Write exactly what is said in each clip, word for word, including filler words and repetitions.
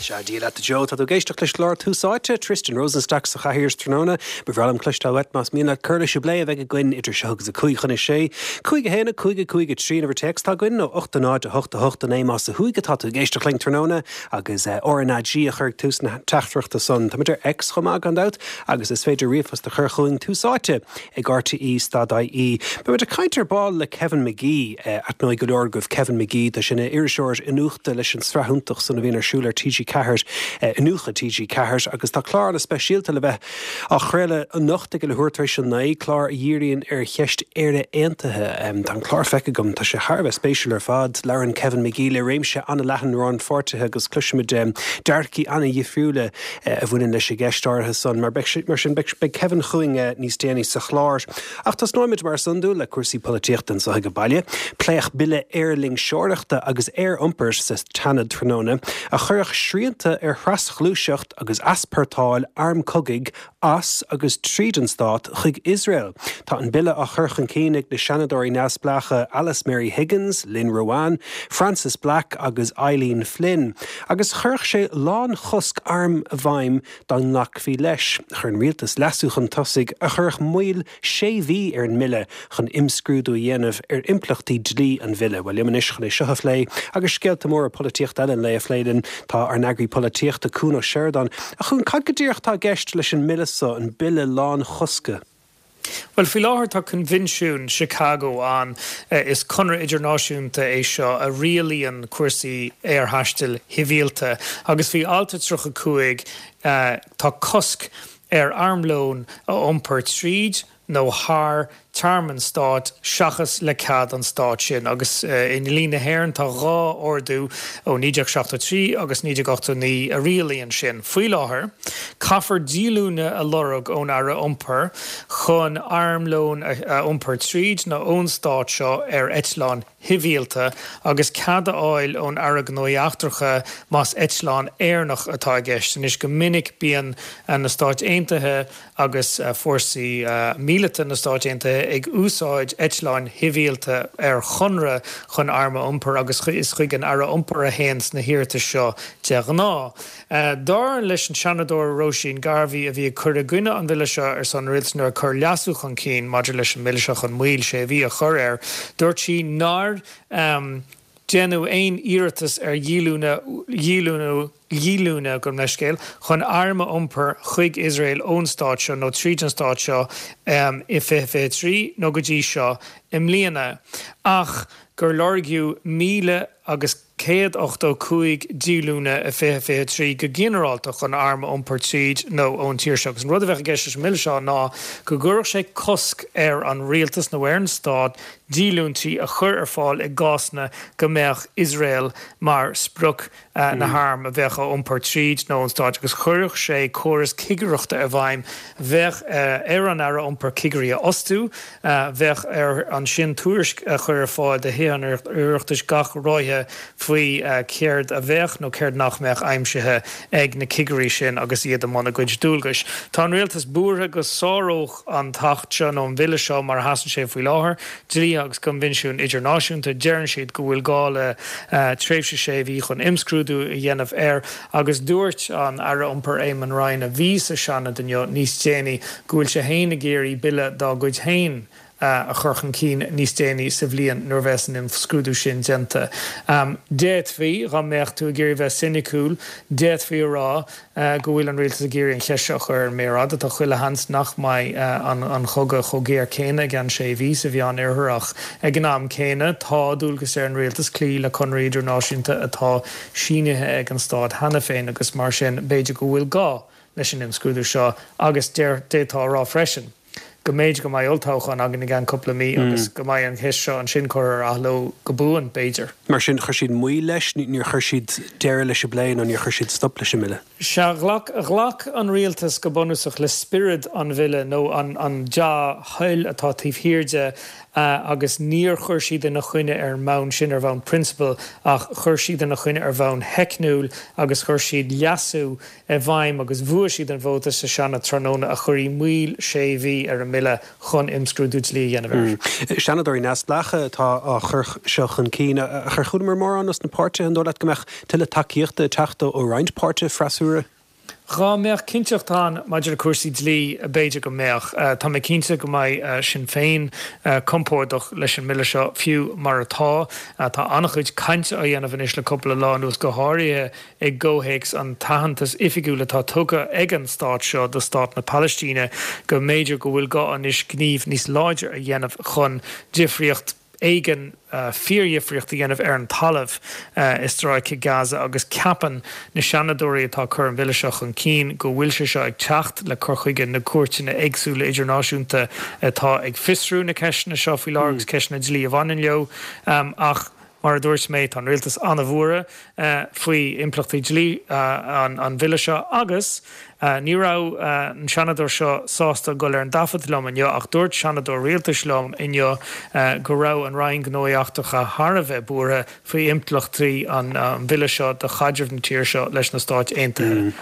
Sea, Dia leat Joe, tá tú ag éisteacht leis an gclár Tús Áite, Tristan Rosenstock sa chathaoir tráthnóna, ba bhreá liom cloisteáil uait más mian leat cur leis an bplé a bheidh againn idir seo agus a cúig chun a sé. Cúig a haon a cúig a cúig a trí an uimhir téacs atá againn nó ocht a náid a hocht a hocht a naoi más ó thuaidh atá tú ag éisteacht linn tráthnóna agus RnaG a chur ag tús na teachtaireachta san. Táimid ar X chomh maith gan dabht agus is féidir ríomhphost a chur chugainn Tús Áite ag RTE stad IE. Beimid ag caint ar ball le Kevin McGee aithneoidh go leor agaibh Kevin McGee tá sin ina iriseoir iniúchta leis an sraith iontach san a bhíonn ar siúl ar TG Ceathair Iniúchadh TG Ceathair agus tá clár an-speisialta le bheith á chraoladh anocht ag leathuair tar éis a naoi clár a dhíríonn ar cheist Éire Aontaithe. Tá an clár feicthe agam tá sé thar a bheith spéisiúil ar fad labhrann Kevin McGee le réimse an-leathan rannpháirtithe agus cloisimid dearcthaí an-difriúla a bhaineann leis an gceist áirithe san mar mar sin beidh Kevin chugainn níos déanaí sa chlár. Ach tosnóimid mar is iondúil le cúrsaí polaitíochta anseo ag baile, Pléadh bille aerloingseoireachta agus aeriompair sa tSeanad tráthnóna a chuirfeadh srianta ar thrasghluaiseacht agus easpórtáil arm cogaidh as agus tríd an stát chuig Iosrael. Tá an bille á chur chun cinn ag na seanadóirí neamhspleácha Alice Mary Higgins, Lynn Ruane, Frances Black agus Eileen Flynn, agus chuirfeadh sé lánchosc arm i bhfeidhm dá nglacfaí leis. Chuir an rialtas leasú chun tosaigh a chuirfeadh moill sé mhí ar an mbille chun imscrúdú a dhéanamh ar impleachtaí dlí an bhille. Well liom anois chun é seo a phlé agus scéalta móra polaitíochta eile an lae a phlé linn tá ár n-eagraí polaitíochta Cuan Ó Seireadáin a Chuain cad go díreach atá i gceist leis an mbille seo an bille lánchosca. Well faoi láthair tá Coinbhinsiún Chicago ann is conradh idirnáisiúnta é seo a rialaíonn cúrsaí aerthaistil shibhialta agus faoi alt a tríocha cúig tá cosc ar armlón a iompar tríd nó thar tearmann stáit seachas le cead an stáit sin agus i ndlí na hÉireann tá dhá ordú ó naoi déag seachtó trí agus naoi déag ochtó naoi a rialaíonn sin. Faoi láthair, caithfear díolúine a lorg ón Aire Iompair chun armlón a iompar tríd nó ón stát seo ar eitleán shibhialta agus cead a fháil ón Aire Gnóthaí Eachtracha más eitleán Éireannach atá i gceist. Anois go minic bíonn na Stáit Aontaithe agus fórsaí míleata na Stáit Aontaithe ag úsáid eitleáin shibhialta ar chonradh chun arm a iompar agus is chuig an Aire Iompair a théann na hiarratais seo de ghnáth. Dar leis an Seanadóir Róisín Garvey a bhí ag cur i gcoinne an bhille seo ar son rialtais nuair a cuireadh leasú chun cinn maidir leis an mbille seo chun moill sé mhí a chur air, dúirt sí nár um, déanadh aon iarratas ar dhíolúine dhíolúine dhíolúine gabh mo leithscéal chun arm a iompar chuig Iosrael ón stát seo nó tríd an stát seo um, i fiche fiche trí nó go dtí seo i mbliana ach gur lorgaíodh míle agus céad ochtó cúig díolúine i fiche fiche trí go ginearálta chun arm a iompar tríd nó ón tír seo. Agus an rud a bheadh i gceist leis an mbille seo ná go gcuirfeadh sé cosc ar an rialtas nó ar an stát díolúintí a chur ar fáil i gcásanna go mbeadh Iosrael mar sprioc na harm a bheadh á iompar tríd nó ón stát agus chuirfeadh sé córas cigireachta i bhfeidhm bheadh ar an Aire Iompair cigirí a fhostú, bheadh air ansin tuairisc a chur ar fáil do Thithe an Oireachtais gach ráithe faoi céard a bheadh nó céard nach mbeadh aimsithe ag na cigirí sin agus iad i mbun a gcuid dualgais. Tá an rialtas buartha go sáródh an t-acht seo nó an bille seo mar a sheasann sé faoi láthair, dlíthe agus coinbhinsiúin idirnáisiúnta. Deireann siad go bhfuil gá le tréimhse sé mhí chun imscrúdú a dhéanamh air agus dúirt an Aire Iompair Eamon Ryan a bhí sa Seanad inniu níos déanaí go bhfuil sé féin ag iarraidh bille dá gcuid féin a chur chun cinn níos déanaí sa bhliain nuair a bheas an imscrúdú sin déanta. D'fhéadfaí, dá mbeadh tú ag iarraidh bheith soiniciúil, d'fhéadfaí a rá go bhfuil an rialtas ag iarraidh an cheist seo a chur ar an méar fhada. Tá chuile sheans nach mbeidh an chogadh chomh géar céanna i gceann sé mhí sa Mheán Oirthear ach ag an am céanna tá dualgas ar an rialtas cloí le conraí idirnáisiúnta atá sínithe ag an stát cheana féin agus mar sin b'fhéidir go bhfuil gá leis an imscrúdú seo agus d'fhéadfá a rá freisin go mb'fhéidir go mbeidh olltoghchán againn i gceann cúpla mí agus go mbeidh an cheist seo ansin curtha ar athló go buan, b'fhéidir. Mar sin, chuir siad moill leis, níor chuir siad deireadh leis an bplé nó níor chuir siad stop leis an mbille? Sea, ghlac, ghlac an rialtas go bunúsach le spiorad an bhille nó an, an dea-thoil atá taobh thiar de agus níor chuir siad ina choinne ar an mbonn sin ar bhonn prionsabail ach chuir siad ina choinne ar bhonn theicniúil agus chuir siad leasú i bhfeidhm agus bhuaigh siad an vóta sa Seanad tráthnóna a chuirfidh moill sé mhí ar an mbille chun imscrúdú dlí a dhéanamh air. Seanadóirí neamhspleácha atá á chur seo chun cinn. Ach ar chualamar mórán os na páirtithe, an dóigh leat go mbeadh tuilleadh tacaíochta ag teacht ó roinnt páirtithe freasúra? Dhá mbeadh cinnteacht ann maidir le cúrsaí dlí, b'fhéidir go mbeadh. Tá mé cinnte go mbeidh Sinn Féin compordach leis an mbille seo, fiú mar atá. Tá an-chuid cainte á dhéanamh anois le cúpla lá anuas, go háirithe i gcomhthéacs an t-aitheantas oifigiúil atá tugtha ag an stát seo do stát na Palaistíne, go mb'fhéidir go bhfuil gá anois gníomh níos láidre a dhéanamh chun difríocht éigin fíordhifríocht a dhéanamh ar an talamh i Stráice Gaza agus ceapann na Seanadóirí atá ag cur an bhille seo chun cinn go bhfuil sé seo ag teacht le cur chuige na gcúirteanna éagsúla idirnáisiúnta atá ag fiosrú na ceisteanna seo faoi láthair agus ceisteanna dlí a bhaineann leo. Ach mar a dúirt mé, tá an rialtas an-bhuartha faoi impleachtaí dlí an bhille seo agus Ní raibh an Seanadóir seo sásta dul ar an dtaifead liom inniu ach dúirt Seanadóir Rialtais liom inniu go raibh an Roinn Gnóthaí Eachtracha thar a bheith buartha faoi impleachtaí an bhille seo do chaidreamh na tíre seo leis na Stáit Aontaithe.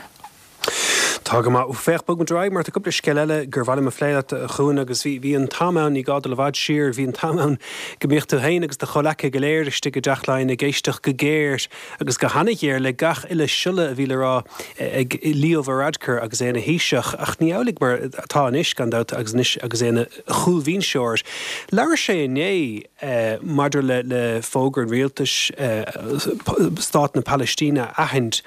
Tá go maith. Féach, bog muid ar aghaidh mar tá cúpla scéal eile gur mhaith liom a phlé leat, a Chuain, agus bhí, bhí an t-am ann, ní gá dul i bhfad siar, bhí an t-am ann go mbíodh tú féin agus do chomhleacaithe go léir istigh i dTeach Laighean ag éisteacht go géar agus go hana-ghéar le gach uile siolla a bhí le rá ag Leo Varadkar agus é ina Thaoiseach, ach ní amhlaidh mar atá anois, gan dabht, agus anois agus é ina chúlbhinseoir. Labhair sé inné maidir le le fógra an rialtais stát na Palaistíne a aithint.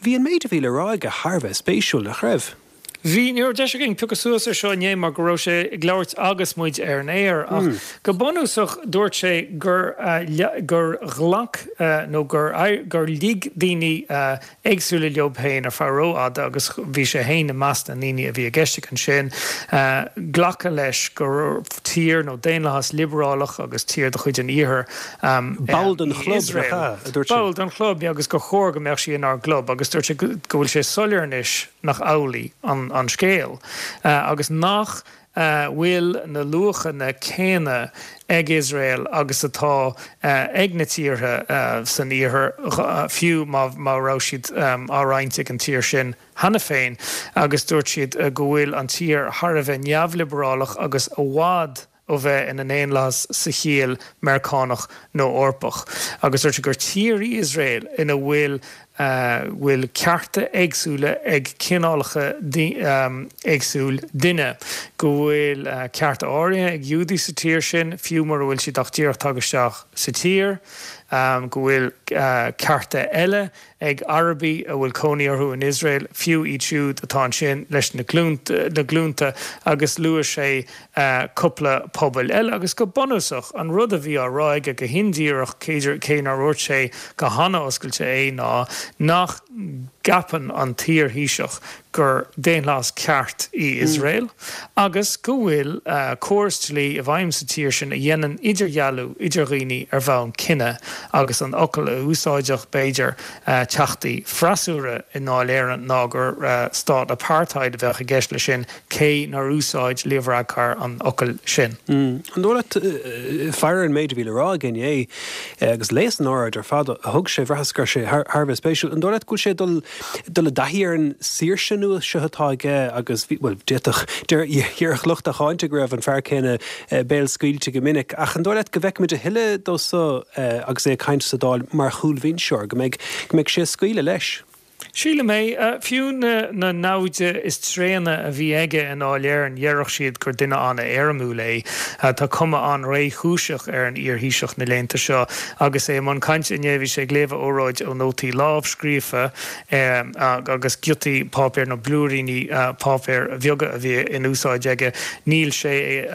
Bhí an méid a bhí le rá aige thar a bheith spéisiúil, nach raibh? Bhí, ní raibh deis againn piocadh suas ar seo inné mar go raibh sé ag labhairt agus muid ar an aer ach go bunúsach dúirt sé gur gur ghlac nó gur gur lig daoine éagsúla leo féin ar feadh rófhada agus bhí sé féin i measc na ndaoine a bhí i gceist aige ansin glacadh leis gur tír nó daonlathas liobrálach agus tír de chuid an Iarthair Ball den chlub, nach ea? a dúirt sé. Ball den chlub, agus gur chóir go mbeadh sí inár gclub agus dúirt sé go bhfuil sé soiléir anois nach amhlaidh an scéal agus nach bhfuil na luachanna céanna ag Iosrael agus atá ag na tíortha san Iarthar, fiú má raibh siad á roinnt ag an tír sin cheana féin, agus dúirt siad go bhfuil an tír thar a bheith neamhliobrálach agus i bhfad ó bheith ina ndaonlathas sa chiall Meiriceánach nó Eorpach, agus dúirt sé gur tír í Iosrael ina bhfuil bhfuil cearta éagsúla ag cineálacha éagsúil duine, go bhfuil cearta áirithe ag Giúdaigh sa tír sin, fiú mura bhfuil siad ach díreach tagtha isteach sa tír, go bhfuil cearta eile ag Arabaigh a bhfuil cónaí orthu in Iosrael, fiú iad siúd atá ansin leis na glúnta, agus luaigh sé cúpla pobail eile. Agus go bunúsach, an rud a bhí á rá aige go hindíreach, cé nár dhúirt sé go han-oscailte é, ná nach gceapann an t-iar-Thaoiseach gur daonlathas ceart í Iosrael agus go bhfuil córas dlí i bhfeidhm sa tír sin a dhéanann idirdhealú idir dhaoine ar bhonn cine agus an fhocal a úsáidfeadh, b'fhéidir, teachtaí freasúra i nDáil Éireann ná gur stát apartheid a bheadh i gceist leis sin, cé nár úsáid Leo Varadkar an fhocal sin. An dóigh leat, faire an méid a bhí le rá aige inné agus léas an óráid ar fad a thug sé, bhraitheas go raibh sé thar a bheith spéisiúil. An dóigh leat go bhfuil sé ag dul dul i dtaithí ar an saoirse nua seo atá aige agus bhí, bhuel, d'fhéadfadh, déarfadh lucht a cháinte go raibh an fear céanna béalscaoilte go minic, ach an dóigh leat go bhfeicfimid a thuilleadh dó so agus é ag caint sa Dáil mar chúlbhinseoir, go mbeidh, go mbeidh sé ag scaoileadh leis? Sílim é. Fiú na naimhde is tréana a bhí aige i nDáil Éireann, déarfadh siad gur duine an-éirimiúil é. Tá cuma an-réchúiseach ar an iar-Thaoiseach na laethanta seo. Agus é i mbun cainte inné, bhí sé ag léamh a óráid ó nótaí lámhscríofa agus giotaí páipéir nó blúiríní páipéir bheaga a bhí in úsáid aige. Níl sé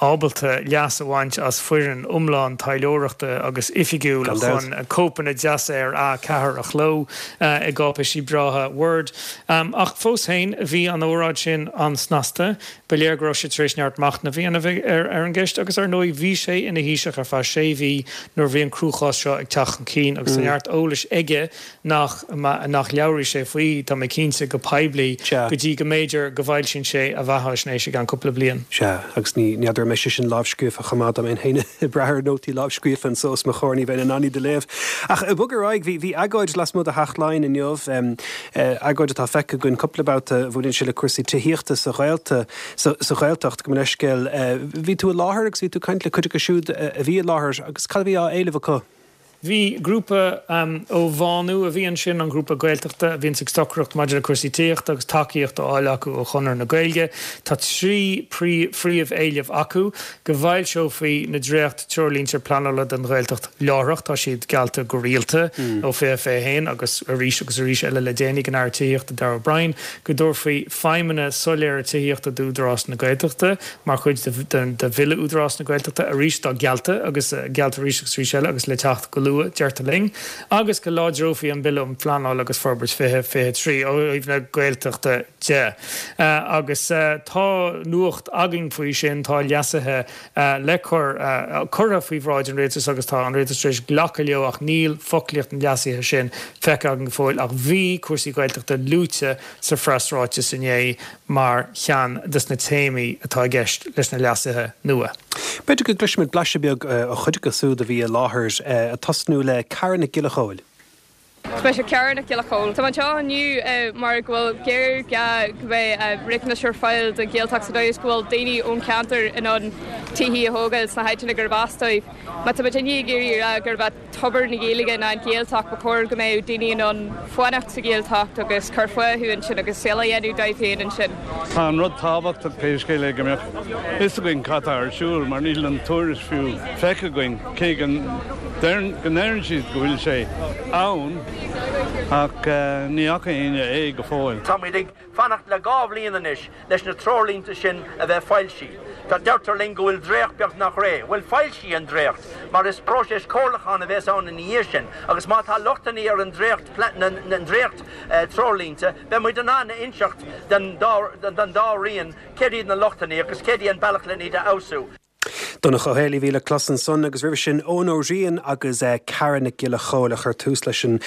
ábalta leas a bhaint as foireann iomlán taidhleoireachta agus oifigiúil chun cóipeanna deasa ar A ceathair a chló i gcáipéisí breátha Word. Ach fós féin, bhí an óráid sin an-snasta. Ba léir go raibh sé tar éis neart machnaimh a dhéanamh ar an gceist agus, ar ndóigh, bhí sé ina Thaoiseach ar feadh sé mhí nuair a bhí an cruachás seo ag teacht chun cinn agus tá neart eolais aige nach nach labhróidh sé faoi, tá mé cinnte, go poiblí go dtí go mb'fhéidir go bhfoilsíonn sé a bheathaisnéis i gceann cúpla bliain. Sea, agus ní n'fheadar an mbeidh sé sin lámhscríofa chomh maith, dá mbeinn féin ag brath ar nótaí lámhscríofa anso os mo chomhair ní bheinn in ann iad a léamh. Ach ag bogadh ar aghaidh, bhí bhí agóid lasmuigh de Theach Laighean inniu, agóid atá feicthe againn cúpla babhta a bhaineann sé le cúrsaí tithíochta sa Ghaelta, sa Ghaeltacht, gabh mo leithscéal. Bhí tú i láthair agus bhí tú ag caint le cuid acu siúd a bhí i láthair agus cad a bhí á éileamh acu? Bhí grúpa ó Bhánú a bhí ansin, an grúpa Gaeltachta a bhíonns ag stocaireacht maidir le cúrsaí tithíochta agus tacaíocht á fháil acu ó Chonradh na Gaeilge. Tá trí phríomh-éileamh acu, go bhfoilseofaí na dréacht-treoirlínte pleanála don Ghaeltacht láithreach, tá siad geallta go rialta ó fiche fiche a haon agus arís agus arís eile le déanaí ag an Aire Tithíochta Darragh O'Brien, go dtabharfaí feidhmeanna soiléire tithíochta d'Údarás na Gaeltachta mar chuid de Bhille Údarás na Gaeltachta, arís atá geallta agus geallta arís agus arís eile agus le teacht go luath, deirtear linn, agus go láidreofaí an Bille um Phleanáil agus Forbairt fiche fiche trí ó thaobh na Gaeltachta de. Agus tá nuacht againn faoi sin, tá leasuithe le cur, curtha faoi bhráid an Rialtais agus tá an Rialtas tar éis glacadh leo ach níl foclaíocht na leasuithe sin feicthe againn go fóill ach bhí cúrsaí Gaeltachta luaite sa phreasráiteas inné mar cheann de na téamaí atá i gceist leis na leasuithe nua. B'fhéidir go gcloisfimid blaiseadh beag ó chuid acu siúd a bhí i láthair, ag tosnú le Cara Nic Giolla Chóill. Is mise Cara Nic Giolla Chóill. Tá mé anseo inniu mar go bhfuil géarghá go mbeidh riachtanais ar fáil don Ghaeltacht sa dóigh is go bhfuil daoine ón cheantar in ann tithe a thógáil sna háiteanna gurb as dóibh. Má tá muid ag iarraidh a rá gurb é tobar na Gaeilge ná an Ghaeltacht, ba chóir go mbeadh daoine in ann fanacht sa Ghaeltacht agus cur fúthu ansin agus saol a dhéanamh dóibh féin ansin. Tá an rud tábhachtach pé scéal é go mbeadh fhios againn cad tá ar siúl mar níl an tuairisc fiú feicthe againn cé go ndeireann siad go bhfuil sé ann ach ní fhaca éinne é go fóill. Táimid ag fanacht le dhá bhliain anois leis na treoirlínte sin a bheith foilsithe. Tá deirtear linn go bhfuil dréacht beagnach réidh. Bhuel, foilsigh an dréacht, mar is próiseas comhairliúcháin a bheas ann ina dhiaidh sin, agus má tá lochtanna ar an dréacht na dréacht treoirlínte, beidh muid in ann a inseacht don dá roinn céard iad na lochtanna agus céard é an bealach len iad a fheabhsú. Donncha Ó Héalaí a bhí le clos ansan agus roimhe sin Eoin Ó Riain agus Cara Nic Giolla Chóill a chuir tús leis an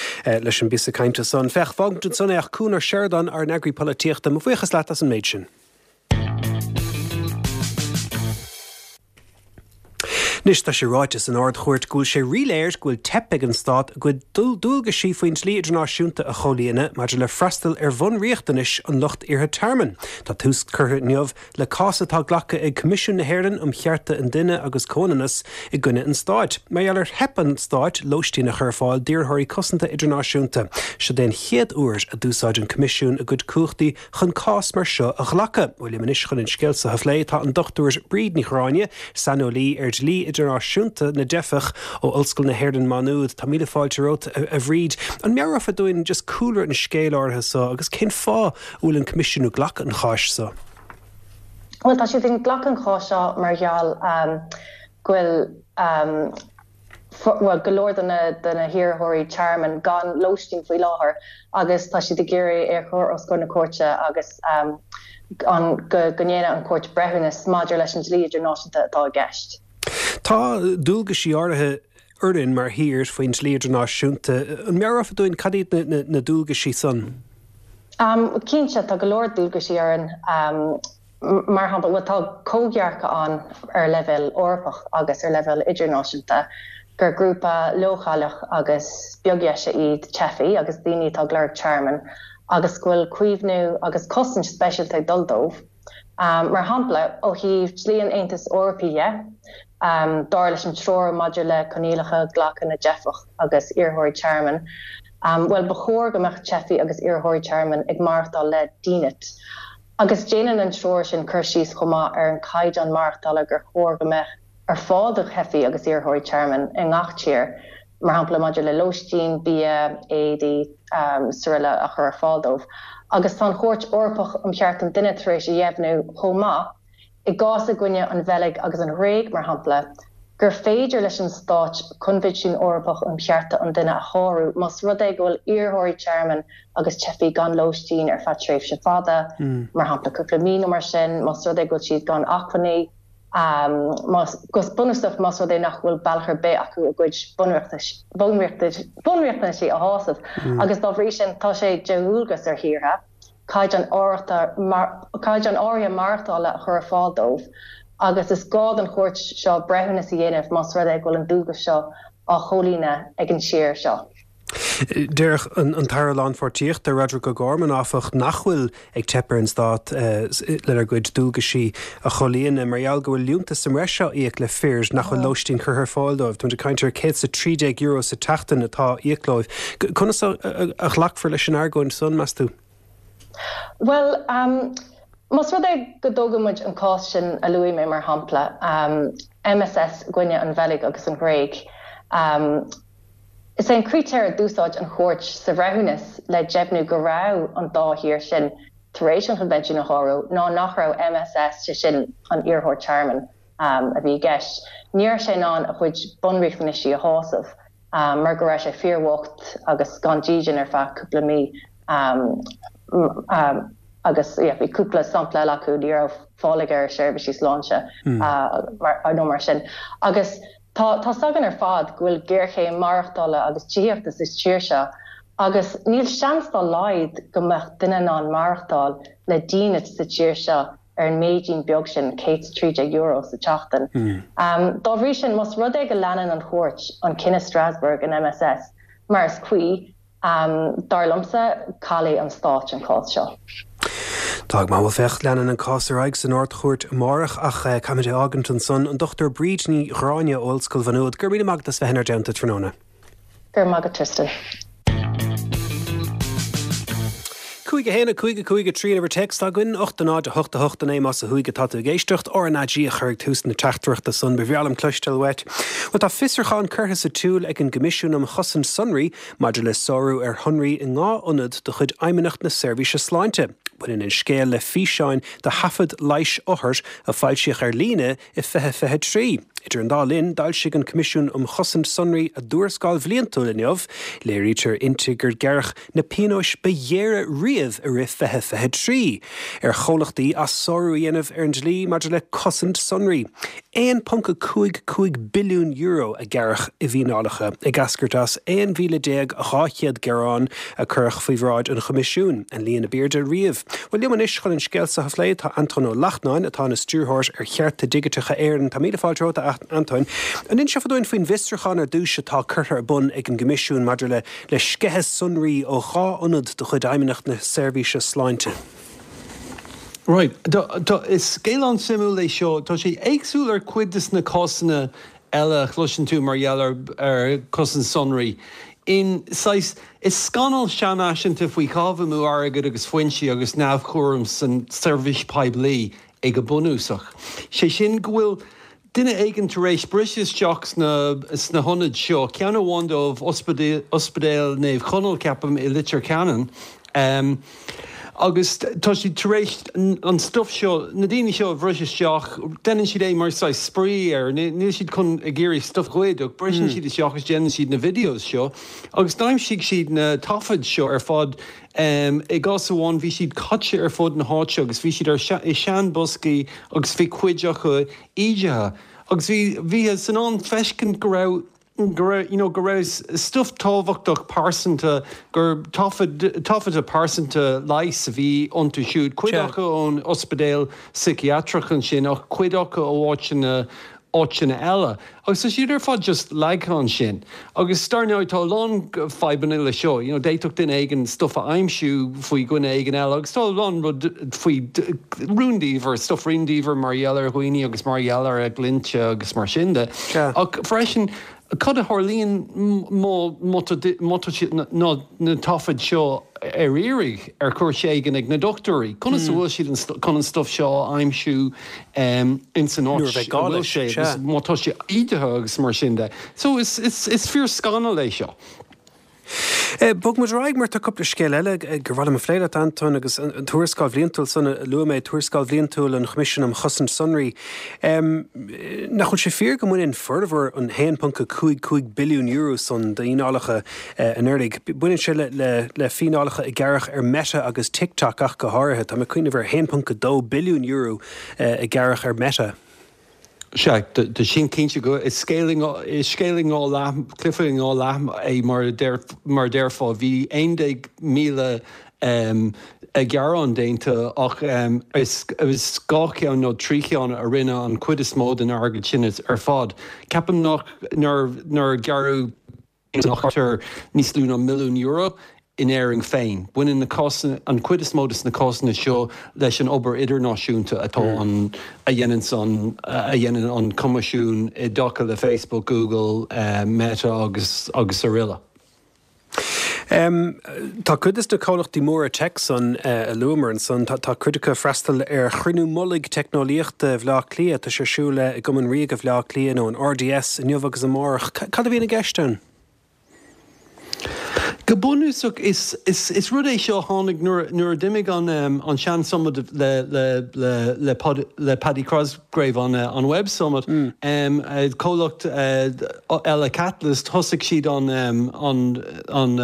leis an bpíosa cainte san. Féach, fágfaimid ansan é ach Cuan Ó Seireadáin, ár n-eagraí polaitíochta, mo bhuíochas leat as an méid sin. Anois tá sé ráite san Ard-Chúirt go bhfuil sé ríléir go bhfuil teip ag an Stát a gcuid dualgaisí faoin dlí idirnáisiúnta a chomhlíonadh maidir le freastal ar bhunriachtanais an lucht iarrtha tearmainn. Tá tús curtha inniu le cás atá glactha ag Coimisiún na hÉireann um Chearta an Duine agus Comhionannas i gcoinne an Stáit, mar gheall ar theip an Stáit lóistín a chur ar fáil d'iarrthóirí cosanta idirnáisiúnta. Seod é an chéad uair a d'úsáid an Coimisiún a gcuid cumhachtaí chun cás mar seo a ghlacadh. Bhuel, liom anois chun an scéal seo a phlé tá an Dochtúir Bríd Ní Ghráinne, saineolaí ar dhlí idirnáisiúnta na dteifeach ó Ollscoil na hÉireann Má Nuad. Tá míle fáilte romhat, a Bhríd. An meabhrófá dúinn just cúlra an scéil áirithe seo agus cén fáth a bhfuil an Coimisiún ag glacadh an cháis seo? Bhuel, tá siad ag glacadh an cháis seo mar gheall go bhfuil bhuel, go leor de na de na hiarrthóirí tearmainn gan lóistín faoi láthair agus tá siad ag iarraidh é a chur os comhair na cúirte agus an go go ndéanfaidh an chúirt breithiúnas maidir leis an dlí idirnáisiúnta atá i gceist. Tá dualgaisí áirithe orainn mar thír faoin dlí idirnáisiúnta. An meabhrófá dúinn cad iad na na dualgaisí san? Cinnte, tá go leor dualgaisí orainn. Mar shampla, bhuel, tá comhdhearcadh ann ar leibhéal Eorpach agus ar leibhéal idirnáisiúnta gur grúpa leochaileach agus beagdheise iad teifigh agus daoine atá ag lorg tearmainn agus go bhfuil caomhnú agus cosaint speisialta ag dul dóibh. Mar shampla, ó thaobh dlí an Aontais Eorpaigh dhe, dar leis an Treoir maidir le Coinníollacha Glactha na dTeifeach agus Iarrthóirí Tearmainn, bhuel, ba chóir go mbeadh teifigh agus iarrthóirí tearmainn ag maireachtáil le dínit. Agus déanann an treoir sin cur síos chomh maith ar an caighdeán maireachtála gur chóir go mbeadh ar fáil do theifigh agus iarrthóirí tearmainn i ngach tír, mar shampla maidir le lóistín, bia, éadaí, srl. a chur ar fáil dóibh. Agus tá an Chúirt Eorpach um Chearta an Duine tar éis a dheimhniú chomh maith, i gcás i gcoinne an Bheilg agus an Ghréig, mar shampla, gur féidir leis an Stát Coinbhinsiún Eorpach um Chearta an Duine a shárú más rud é go bhfuil iarrthóirí tearmainn agus teifigh gan lóistín ar feadh tréimhse fada, mar shampla cúpla mí nó mar sin, más rud é go bhfuil siad gan acmhainní, go bunúsach más rud é nach bhfuil bealach ar bith acu a gcuid bunriachtanaisí a shásamh. Agus dá bhrí sin tá sé de dhualgas ar thíortha caighdeán caighdeán áirithe maireachtála a chur ar fáil dóibh agus is gá don chúirt seo breithiúnas a dhéanamh más rud é go bhfuil an dualgas seo á chomhlíonadh ag an tír seo. Deir an tAire Lánpháirtíochta Roderic O'Gorman áfach nach bhfuil ag teip ar an stát lena gcuid dualgaisí a chomhlíonadh mar gheall go bhfuil liúntas sa mbreis á íoc le fir nach bhfuil lóistín curtha ar fáil dóibh. Táimid ag caint ar céad is a trí déag euro sa tseachtain atá á íoc leo. Conas a ghlacfar leis an argóint san, meas tú? Bhuel, más rud é go dtógann muid an cás sin a luaigh mé mar shampla, MSS i gcoinne an Bheilg agus an Ghréig, is é an critéar a d'úsáid an chúirt sa bhreithiúnas le deimhniú go raibh an dá thír sin tar éis an Choinbhinsiún a shárú ná nach raibh MSS, sé sin an iarrthóir tearmainn a bhí i gceist, ní raibh sé in ann a chuid bunriachtanaisí a shásamh mar go raibh sé fíorbhocht agus gan dídean ar feadh cúpla mí. Agus yeah bhí cúpla sampla eile acu, ní raibh fáil aige ar seirbhísí sláinte nó mar sin. Agus tá tá 's againn ar fad go bhfuil géarchéim maireachtála agus tithíochta sa tír seo agus níl seans dá laghad go mbeadh duine in ann maireachtáil le dínit sa tír seo ar an méidín beag sin, céad is trí déag euro sa tseachtain. Dá bhrí sin, más rud é go leanann an chúirt an cinneadh Strasbourg in MSS mar is cuí, Dar liomsa, caillfidh an Stát an cás seo. Tá go maith, bhuel féach, leanann an cás ar aghaidh san Ard-Chúirt amárach ach caithfimid é a fhágaint ansan. An Dochtúir Bríd Ní Ghráinne ó Ollscoil Mhá Nuad, go raibh míle maith agat as bheith inár dteannta tráthnóna. Go raibh maith agat, Tristan. Cúig a haon a cúig a cúig a trí an uimhir téacs atá againn, ocht a náid a hocht a hocht a naoi más ó thuaidh atá tú ag éisteacht, RnaG a chur ag tús na teachtaireachta san, ba bhreá liom cloisteáil uait. Bhuel tá fiosrúchán curtha sa tsiúl ag an gCoimisiún um Chosaint Sonraí maidir le sárú ar shonraí i ndhá ionad de chuid Fheidhmeannacht na Seirbhíse Sláinte. Baineann an scéal le físeáin de thaifead leighis othar a foilsíodh ar líne i fiche fiche a trí. Idir an dá linn, d'fhoilsigh an Coimisiún um Chosaint Sonraí a dtuarascáil bhliantúil inniu. Léirítear inti gur gearradh na pionóis ba ghéire riamh i rith fiche fiche a trí ar chomhlachtaí as sárú a dhéanamh ar an dlí maidir le cosaint sonraí. aon ponc a cúig cúig billiún euro a gearradh i bhfíneálacha, ag eascairt as aon mhíle déag dhá chéad gearán a cuireadh faoi bhráid an Choimisiúin, an líon ab airde riamh. Bhuel, liom anois chun an scéal seo a phlé tá Antóin Ó Lachtnáin, atá ina Stiúrthóir ar Chearta Digiteacha Éireann. Tá míle fáilte romhat, a Antóin. An inseofá dúinn faoin bhfiosrúchán ar dtús atá curtha ar bun ag an gCoimisiún maidir le le sceitheadh sonraí ó dhá ionad de chuid Fheidhmeannacht na Seirbhíse Sláinte? Right. Is scéal an-suimiúil é seo. Tá sé éagsúil ar cuid de na cásanna eile a chloiseann tú mar gheall ar chosaint sonraí. In saghas, is scannal seanfhaiseanta faoi chaitheamh amú airgid agus foinsí agus neamhchúram san tseirbhís poiblí é go bunúsach. Sé sin go bhfuil duine éigin tar éis briseadh isteach sna hionaid seo, ceann amháin dóibh, Ospidéal Naomh Conaill, ceapaim, i Leitir Ceanainn, agus tá siad tar éis an stuif seo, na daoine seo a bhris isteach, déanann siad é mar saghas spraoi ar, níl siad chun ag iarraidh stuif a ghoid ach briseann siad isteach agus déanann siad na videos seo agus d'aimsigh siad na taifid seo ar fad. I gcás amháin bhí siad caite ar fud na háite agus bhí siad ar i seanbhoscaí agus bhí cuid acu ídithe agus bhí bhíothas in ann feiscint go raibh go raibh you know go raibh stuif tábhachtach pearsanta gur taifid taifeadta pearsanta leighis a bhí iontu siúd cuid acu ón ospidéal síciatrach ansin ach cuid acu ó áiteanna áiteanna eile. Agus tá siad ar fad just leagtha ansin. Agus dar ndóigh tá a lán fadhbanna le seo, you know d'fhéadfadh duine éigin stuff a aimsiú faoi dhuine éigin eile agus tá a lán rud faoi rúndiamhair, stuff rúndiamhair mar gheall ar dhaoine agus mar gheall ar a gcliaint agus mar sin de. Ach freisin cad a tharlaíonn má má tá má tá siad na na taifid seo ar iarraidh ar chúis éigin ag na dochtúirí? Conas a bhfuil siad chun an stuff seo a aimsiú ins an áit a bhfuil sé agus má tá sé ídithe agus mar sin de? So is is is fíor scannal é seo. Bog muid ar aghaidh mar tá cúpla scéal eile gur mhaith liom a phlé leat, Antoin, agus an tuarascáil bhliantúil san a luaigh mé, tuarascáil bhliantúil an Choimisiúin um Chosaint Sonraí. Nach bhfuil sé fíor go mbaineann formhór an haon ponc a cúig cúig billiún euro san d'fhíneálacha anuraidh? Baineann sé le le fíneálacha a gearradh ar Meta agus TikTok ach go háirithe. Tá mé ag cuimhneamh ar haon ponc a dó billiún euro a gearradh ar Meta. Sea, tá sin cinnte go is scéal i dhá leath, cluiche i dhá leath é mar a déarfá. Bhí aon déag míle gearán déanta ach is dhá cheann nó trí cheann a rinne an chuid is mó den airgead sin ar fad. Ceapaim nach nár gearradh nach níos lú ná milliún euro in Éirinn féin. Baineann na cásanna, an chuid is mó de na cásanna seo leis an obair idirnáisiúnta atá an, a dhéanann an, a dhéanann an Coimisiún i dtaca le Facebook, Google, Meta agus agus araile. Tá cuid de na comhlachtaí móra tech san a luamar ansan, tá cuid acu ag freastal ar chruinniú mullaigh teicneolaíochta Bhaile Átha Cliath, tá sé ar siúl i gCumann Ríoga Bhaile Átha Cliath nó an R D S inniu agus amárach. Cad a bhíonn i gceist ann? Go bunúsach is is is rud é seo a tháinig nuair nuair a d'imigh an an sean summit le le le le Pod, le Paddy Cosgrave an an Web Summit. Mm. Um, comhlacht eile Catalyst, thosaigh siad an an an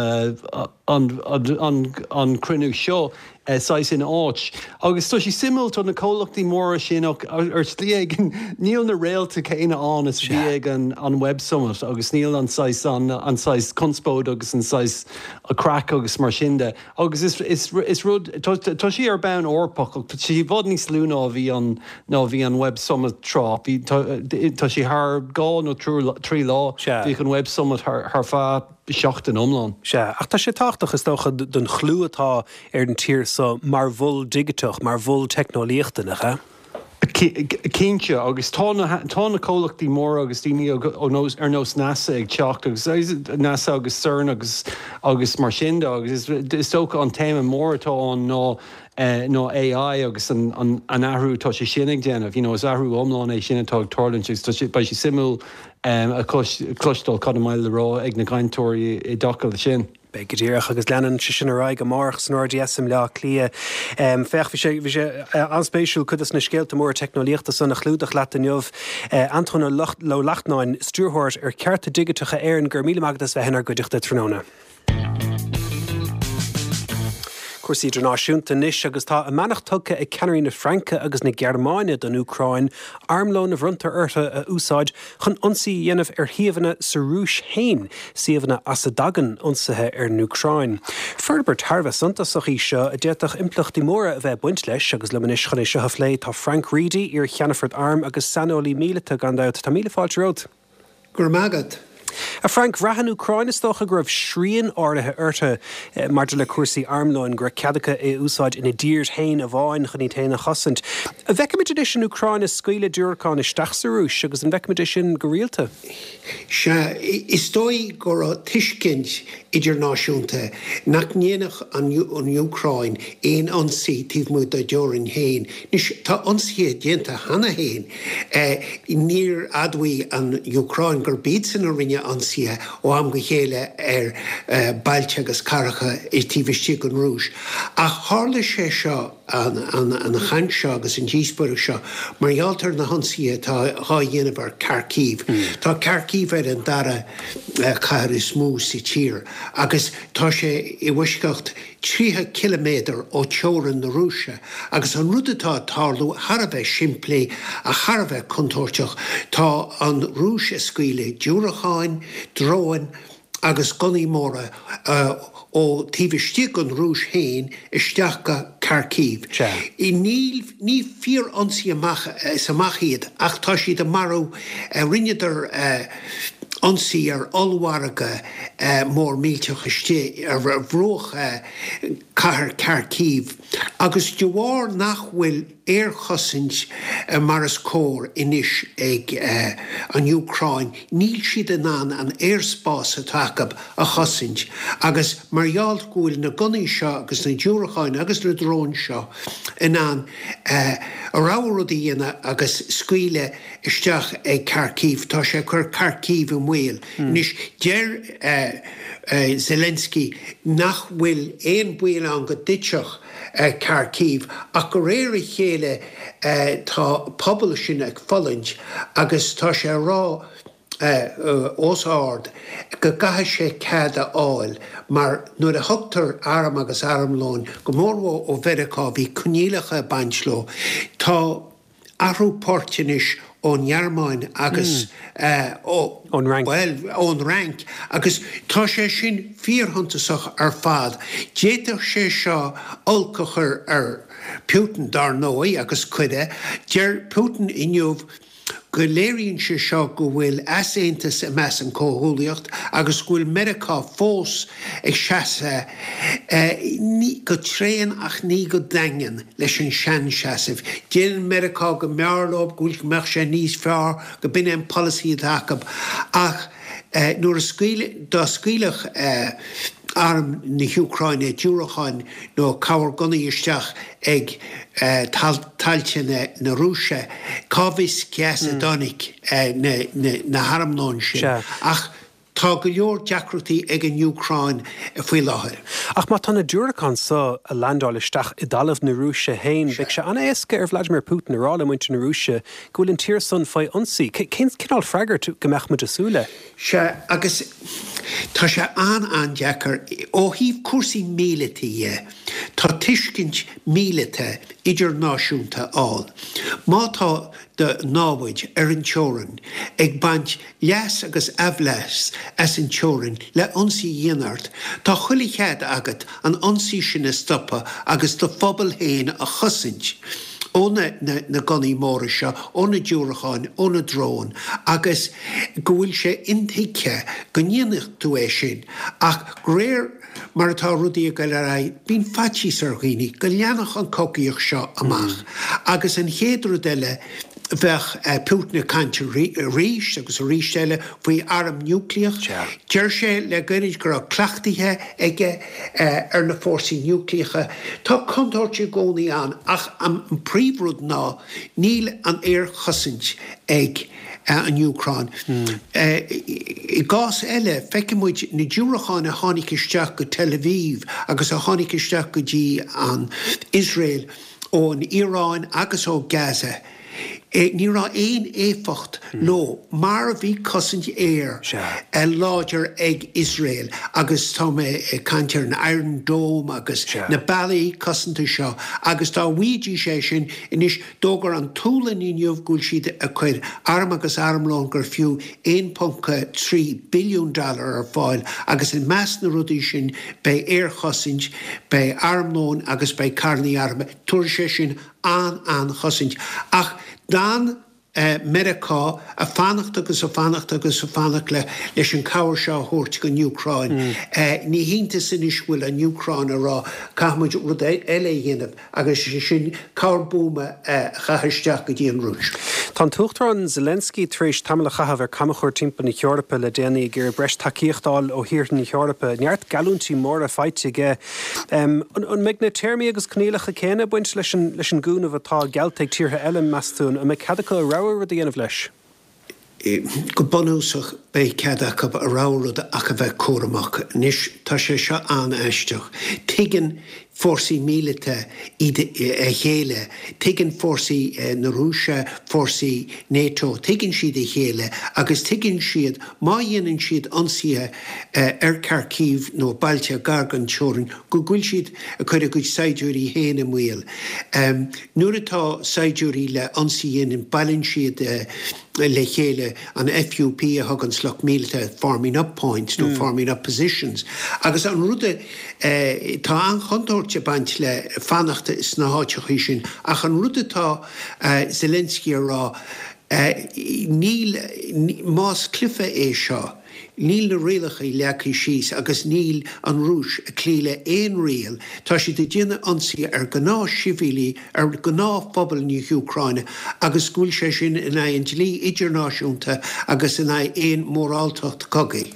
an an an cruinniú seo saghas in áit. Agus tá sé suimiúil, tá na comhlachtaí móra sin ar shlí éigin, níl na réalta céanna ann is bhí ag an an Web Summit agus níl an saghas an an saghas conspóid agus an saghas craic agus mar sin de. Agus is is is rud tá sí ar bonn Eorpach, tá sí i bhfad níos lú ná bhí an ná bhí an Web Summit tráth. Bhí tá sí thar dhá nó trí lá, bhí an Web Summit thar thar feadh seachtain iomlán. Sea, ach tá sé tábhachtach is dócha don chlú atá ar an tír seo mar mhol digiteach, mar mhol teicneolaíochta, nach ea? Cinnte, agus tá na tá na comhlachtaí móra agus daoine ar nós NASA ag teacht agus NASA agus CERN agus agus mar sin de agus is dócha an téama mór atá ann ná ná A I agus an an an athrú tá sé sin ag déanamh. You know, is athrú iomlán é sin atá ag tarlúint agus beidh sé suimiúil a chloisteáil cad a mbeidh le rá ag na cainteoirí i dtaca leis sin. Beidh go díreach agus leanann sé sin ar aghaidh amárach san R D S i mBleá Cliath. Féach, bhí sé bhí sé an-spéisiúil cuid de na scéalta móra teicneolaíochta san a chlúdach leat inniu. Antoin Ó Lachtnáin, stiúrthóir ar Cearta Digiteacha Éireann, go raibh míle maith agat as bheith inár gcuideachta tráthnóna. Cúrsaí idirnáisiúnta anois agus tá a mbeannacht tugtha ag ceannairí na Fraince agus na Gearmáine don Úcráin armlón a bhronntar orthu a úsáid chun ionsaí a dhéanamh ar shuíomhanna sa Rúis féin, suíomhanna as a dtagann ionsaithe ar an Úcráin. Forbairt thar a bheith suntasach í seo a d'fhéadfadh impleachtaí móra a bheith ag baint leis agus liom anois chun é seo a phlé tá Frank Reidy, iar-cheannfort airm agus saineolaí míleata gan dabht. Tá míle fáilte romhat. Go raibh maith agat. A Frank, bhraith an Úcráin is dócha go raibh srian áirithe orthu maidir le cúrsaí armlóin, go raibh cead acu é a úsáid ina dtír féin amháin chun iad féin a chosaint. An bhfeicfimid anois an Úcráin ag scaoileadh diúracán isteach sa Rúis agus an bhfeicfimid é sin go rialta? Sea, is dóigh go raibh tuiscint idirnáisiúnta nach ndéanfadh an Úcráin aon ionsaí taobh amuigh dá dteorainn féin. Anois, tá ionsaithe déanta cheana féin. Níor admhaigh an Úcráin gurb iadsan a rinne ionsaithe ó am go chéile ar bailte agus cathracha taobh istigh den Rúis. Ach tharla sé seo an, an, an chaint seo agus an díospóireacht seo mar gheall ar na hionsaithe atá á dhéanamh ar Kharkiv. Mm. Tá Kharkiv ar an dara cathair is mó sa tír agus tá sé i bhfoisceacht tríocha ciliméadar ó teorainn na Rúise agus an rud atá ag tarlú thar a bheith simplí ach thar a bheith contúirteach, tá an Rúis ag scaoileadh diúracáin, dróin agus gunnaí móra ó taobh istigh den Rúis féin isteach go Kharkiv. Níl ní fíor-ionsaí amach is amach iad ach tá siad ag marú. Rinneadar ionsaí ar ollmhargadh mór millteach istigh ar bhruach cathair Kharkiv agus de bharr nach bhfuil aerchosaint mar is cóir anois ag an Úcráin, níl siad in ann an aerspás atá acu a chosaint agus mar gheall go bhfuil na gunnaí seo agus na diúracáin agus na dróin seo in ann a rogha rud a dhéanamh agus scaoileadh isteach ag Kharkiv, tá sé ag cur Kharkiv i mbaol. mbaol. Anois, deir Zelensky nach bhfuil aon baol ann go dtitfeadh Kharkiv ach de réir a chéile tá pobal sin ag fulaingt agus tá sé a rá os ard go gcaithfidh sé cead a fháil mar nuair a thugtar arm agus armlón, go mórmhór ó Mheiriceá, bhí coinníollacha ag baint leo. Tá athrú poirt anois ón nGearmáin agus ó, Ón Fhrainc. bhuel, ón Fhrainc agus tá sé sin fíorshuntasach ar fad. D'fhéadfadh sé seo olc a chur ar Putin, dar ndóigh, agus cuireadh. Deir Putin inniu go léiríonn sé seo go bhfuil easaontas i measc an chomhghuaillíocht agus go bhfuil Meiriceá fós ag seasamh, ní go tréan ach ní go daingean, leis an seanseasamh. Déanann Meiriceá go mb'fhearr leo, go bhfuil, go mbeadh sé níos fearr, go b'in é an polasaí atá acu ach nuair a scaoil, dá scaoilfeadh arm na hÚcráine diúracáin nó cabhair gunnaí isteach ag tailte na Rúise, cá bhfios cé as a dtáinig na harmlóin sin. Ach tá go leor deacrachtaí ag an Úcráin faoi láthair. Ach má tá na diúracáin so a landáil isteach i dtalamh na Rúise féin, beidh sé an-éasca ar Vladimir Putin a rá le muintir na Rúise go bhfuil an tír san faoi ionsaí. Cén cineál freagairt go mbeadh muid ag súil le? Sea, agus tá sé an-an-deacair. Ó thaobh cúrsaí míleata dhe, tá tuiscint míleata idirnáisiúnta ann. Má tá do námhaid ar an teorainn ag baint leas agus aimhleas as an teorainn le ionsaí a dhéanamh ort, tá chuile chead agat an ionsaí sin a stopadh agus do phobal féin a chosaint. ó na gunnaí móra seo, ó na diúracáin, ó na dróin agus go bhfuil sé intuigthe go ndéanfadh tú é sin ach de réir mar atá rudaí ag dul ar aghaidh, bíonn faitíos ar dhaoine go leanfadh an chogaíocht seo amach agus an chéad rud eile bheadh Putin ag caint arís agus arís eile faoi arm núicléach. Deir sé le gairid go raibh cleachtaithe aige ar na fórsaí núicléacha. Tá contúirt i gcónaí ann ach an príomhrud ná níl an aerchosaint ag an Úcráin. I gcás eile, feicfidh muid na diúracáin a tháinig isteach go Tel Aviv agus a tháinig isteach go dtí an Iosrael ón Iaráin agus ó Gaza. Ní raibh aon éifeacht leo mar bhí cosaint aeir láidir ag Iosrael agus tá mé ag caint ar an Iron Dome agus na bealaí cosanta seo agus dá bhfaighidís é sin anois d'fhógair an tSualainn inniu go bhfuil siad ag cur arm agus armlón gur fiú aon ponc trí billiún dollar ar fáil agus i measc na rudaí sin beidh aerchosaint, beidh armlón agus beidh carrannaí armtha. Tabharfaidh sé sin an-an-chosaint. Ach d'fhan Meiriceá ag fanacht agus ag fanacht agus ag fanacht leis an cabhair seo a thabhairt don Úcráin. Ní hiontas anois go bhfuil an Úcráin ag rá caithfidh muid rud eile a dhéanamh agus sé sin cabhair buama a chaitheamh isteach go dtí an Rúis. Tá an tUachtarán Zelensky tar éis tamall a chaitheamh ar camchuairt timpeall na hEorpa le déanaí ag iarraidh breis tacaíocht a fháil ó thíortha na hEorpa. Neart geallúintí móra faighte aige. An mbeidh na téarmaí agus coinníollacha céanna ag baint leis an gcúnamh atá geallta ag tíortha eile, meas tú? An mbeidh cead acu a rogha rud a dhéanamh leis? Go bunúsach, beidh cead acu a rogha rud ach a bheith cúramach. Anois, tá sé seo an-aisteach. Tuigeann fórsaí míleata iad a chéile, tuigeann fórsaí na Rúise, fórsaí NATO, tuigeann siad a chéile agus tuigeann siad má dhéanann siad ionsaithe ar Kharkiv nó bailte gar don teorainn go bhfuil siad ag cur a gcuid saighdiúirí féin i mbaol. Nuair atá saighdiúirí le ionsaí a dhéanamh, bailíonn siad le chéile an FUP a thugann lucht míleata forming up points nó forming up positions agus an rud a tá an-chontúirt ag baint le fanacht sna háiteachaí sin ach an rud atá Zelensky a rá níl más cluiche é seo Níl na rialacha leagtha síos agus níl an Rúis ag cloí le aon riail. Tá siad ag déanamh ionsaí ar ghnáthshibhialaigh, ar ghnáthphobal na hÚcráine agus go bhfuil sé sin in aghaidh an dlí idirnáisiúnta agus in aghaidh aon mhóráltacht cogaidh.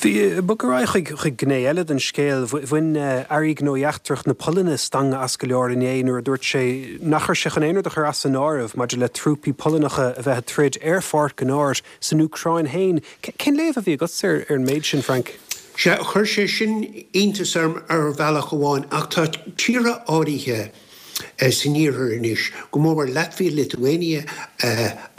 Bhí bog ar aghaidh chuig chuig gné eile den scéal. Bhain Aire Gnóthaí Eachtracha na Polainne stangadh as go leor inné nuair a dúirt sé nach raibh sé chun aon rud a chur as an áireamh maidir le trúpaí Polannacha a bheith ag troid ar pháirc an áir san Úcráin féin. Cén léamh a bhí agatsa ar ar an méid sin, Frank? Sea, chuir sé sin iontas orm ar bhealach amháin ach tá tíortha áirithe san iarthar anois, go mór mór Latvia, Lithuania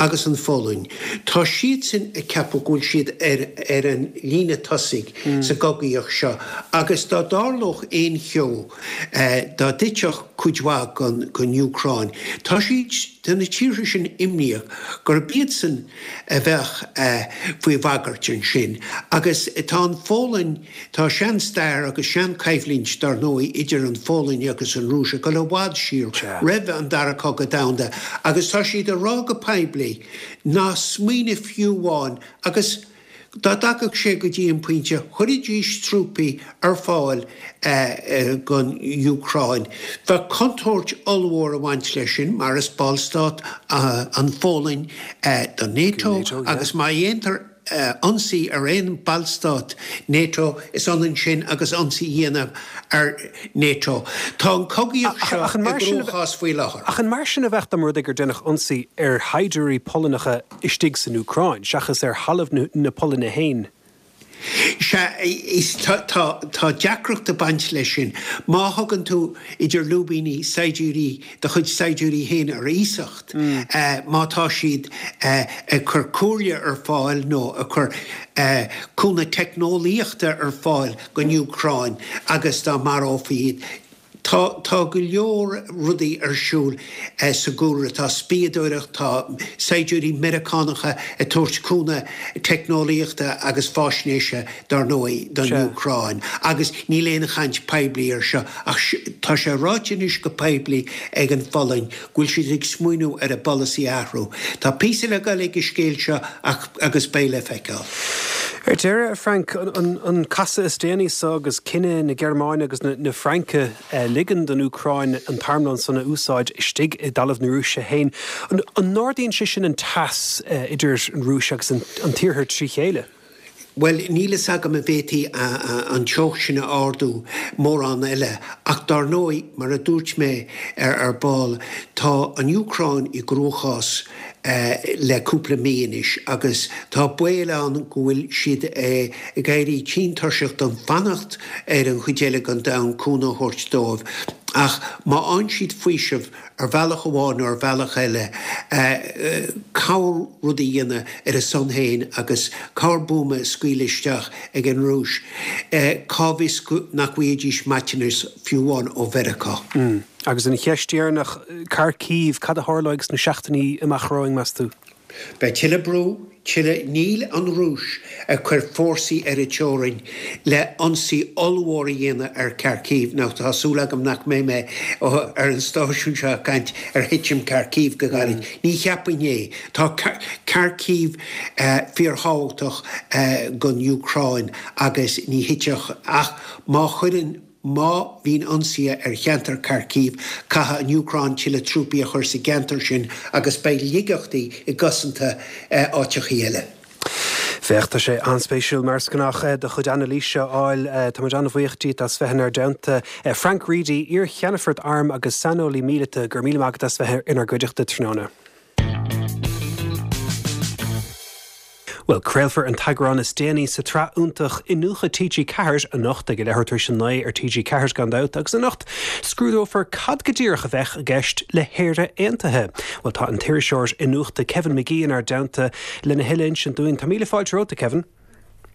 agus an Pholainn, tá siadsan ag ceapadh go bhfuil siad ar ar an líne tosaigh sa gcogaíocht seo agus dá dtarlódh aon cheo, dá dtitfeadh cuid mhaith den Úcráin, tá siad, tá na tíortha sin imníoch gurb iadsan a bheadh faoi bhagairt ansin agus tá an Pholainn, tá sean-stair agus sean-choimhlint dar ndóigh idir an Pholainn agus an Rúis ag dul i bhfad siar roimh an Dara Cogadh Domhanda agus tá siad ag rá go poiblí ná smaoinigh fiú amháin agus dá dtagadh sé go dtí an pointe chuirfidís trúpaí ar fáil don Úcráin. Bheadh contúirt ollmhór ag baint leis sin mar is ballstát an Pholainn do NATO agus má dhéantar ionsaí ar aon ballstát NATO, is ionann sin agus ionsaí a dhéanamh ar NATO. Tá an chogaíocht seo i gcruachás faoi láthair. Ach an mar sin a bheadh dá mba rud é gur déanadh ionsaí ar shaighdiúirí Polannacha istigh san Úcráin, seachas ar thalamh na Polainne féin? Sea, is tá tá deacracht ag baint leis sin. Má thugann tú idir lúibíní saighdiúirí, do chuid saighdiúirí féin ar iasacht, má tá siad ag cur comhairle ar fáil nó ag cur cúnamh teicneolaíochta ar fáil don Úcráin agus dá marófaí iad, Tá, tá go leor rudaí ar siúl sa gcúlra. Tá spiadóireacht, tá saighdiúirí Meiriceánacha ag tabhairt cúnamh teicneolaíochta agus faisnéise, dar ndóigh, don Úcráin. Agus níl aon chaint poiblí ar seo ach tá sé ráite anois go poiblí ag an Pholainn go bhfuil siad ag smaoineamh ar a bpolasaí a athrú. Tá píosa le dul ag an scéal seo ach agus beidh le feiceáil. Ar deireadh, a Frank, an casadh is déanaí so agus cinneadh na Gearmáine agus na Fraince ligean don Úcráin an t-armlón san a úsáid istigh i dtalamh na Rúise féin, an n-ardaíonn sé sin an teas idir an Rúis agus an tIarthar trí chéile? Bhuel, níl fhios agam an bhféadfaí an teocht sin a ardú mórán eile, ach dár ndóigh, mar a dúirt mé ar ball, tá an Úcráin i gcruachás le cúpla mí anois agus tá baol ann go bhfuil siad ag éirí tinn tuirseach den fanacht ar an chuid eile den domhan cúnamh a thabhairt dóibh. Ach má fhaigheann siad faoiseamh ar bhealach amháin nó ar bhealach eile, corr rud a dhéanamh ar a son féin agus corr buama a scaoileadh isteach ag an Rúis, cá bhfios nach bhfaighidís maiteanas fiú amháin ó Mheiriceá. Agus an cheist dheireanach, Kharkiv, cad a tharlóidh sna seachtainí amach romhainn, meas tú? Beidh tuilleadh brú, tuilleadh, níl an Rúis ag cur fórsaí ar an teorainn le ionsaí ollmhór a dhéanamh ar Kharkiv, nó tá súil agam nach mbeidh mé ar an stáisiún seo ag caint ar thitim Kharkiv go gairid. Ní cheapfainn é. Tá Kharkiv fíorthábhachtach don Úcráin agus ní thitfeadh ach má chuireann Má bhíonn ionsaithe ar cheantar Kharkiv, caithfidh an Úcráin tuilleadh trúpaí a chur sa gceantar sin agus beidh laigeachtaí i gcosanta áiteachaí eile. Féach, tá sé an-spéisiúil, mar is gnách, do chuid anailíse a fháil. Tá muid an-bhuíoch díot as bheith inár dteannta. Frank Reidy, iar-cheannfort airm agus saineolaí míleata, go raibh míle maith agat as bheith inár gcuideachta tráthnóna. Bhuel, craolfar an t-eagrán is déanaí sa tsraith iontach Iniúchadh T G Ceathair anocht ag a leathuair tar éis a naoi ar T G Ceathair gan dabht agus anocht scrúdófar cad go díreach a bheadh i gceist le hÉire Aontaithe. Bhuel, tá an t-iriseoir iniúchta Kevin McGee inár dteannta lena thuilleadh a insint dúinn. Tá míle fáilte romhat, a Kevin.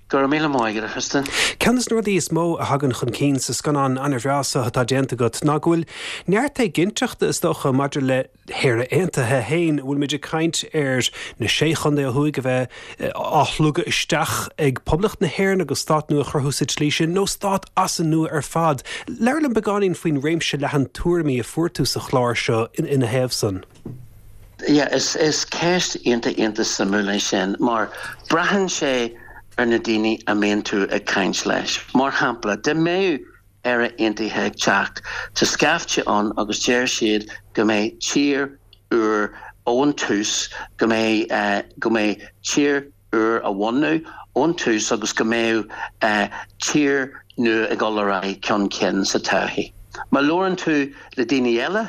Go raibh míle maith agat, a Thristan. Ceann de na rudaí is mó a thagann chun cinn sa scannán an-bhreá seo atá déanta agat ná go bhfuil neart éiginnteachta, is dócha, maidir le hÉire Aontaithe féin. An bhfuil muid ag caint ar na Sé Chontae ó thuaidh a bheith á shlogadh isteach ag Poblacht na hÉireann agus stát nua a chruthú sa tslí sin, nó stát as an nua ar fad? Labhair liom beagáinín faoin réimse leathan tuairimí a fuair tú sa chlár seo ina thaobh san. Yeah, is is ceist iontach iontach suimiúil é sin mar braitheann sé ar na daoine a mbíonn tú ag caint leis. Mar shampla, dá mbeadh Éire Aontaithe ag teacht, tá scaifte ann agus deir siad go mbeidh tír úr ón tús, go mbeidh go mbeidh tír úr á bhunú ón tús agus go mbeadh tír nua ag dul ar aghaidh chun cinn sa todhchaí. Má labhrann tú le daoine eile,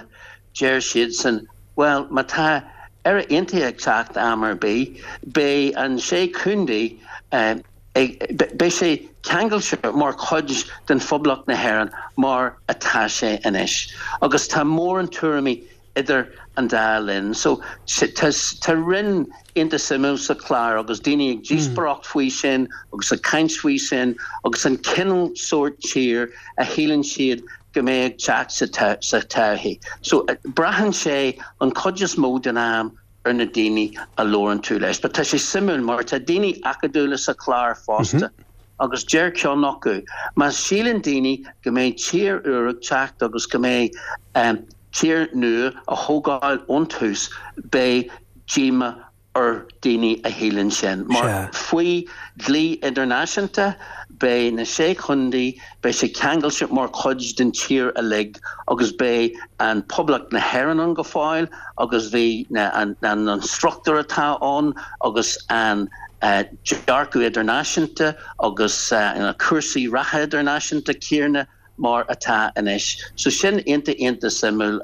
deir siadsan, bhuel, má tá Éire Aontaithe ag teacht am ar bith, beidh an sé chontae ag, beidh sé ceangailte mar chuid den Phoblacht na hÉireann mar atá sé anois. Agus tá mórán tuairimí idir an dá linn. So tá roinn iontach suimiúil sa chlár agus daoine ag díospóireacht faoi sin agus ag caint faoi sin agus an cineál sórt tír a shíleann siad go mbeidh ag teacht sa todhchaí. So braitheann sé an chuid is mó den am ar na daoine a labhrann tú leis. But tá sé suimiúil mar tá daoine acadúla sa chlár fosta. Agus deir ceann acu, má shíleann daoine go mbeidh tír úr ag teacht agus go mbeidh tír nua a thógáil ón tús, beidh díomá ar daoine a shíleann sin. Mar faoi dhlí idirnáisiúnta, beidh na Sé Chontae, beidh sé ceangailte mar chuid den tír uilig agus beidh an Poblacht na hÉireann ann go fóill agus bhí an an struchtúr atá ann agus an dearcadh idirnáisiúnta agus na cúrsaí reatha idirnáisiúnta céanna mar atá anois. So sin iontach iontach suimiúil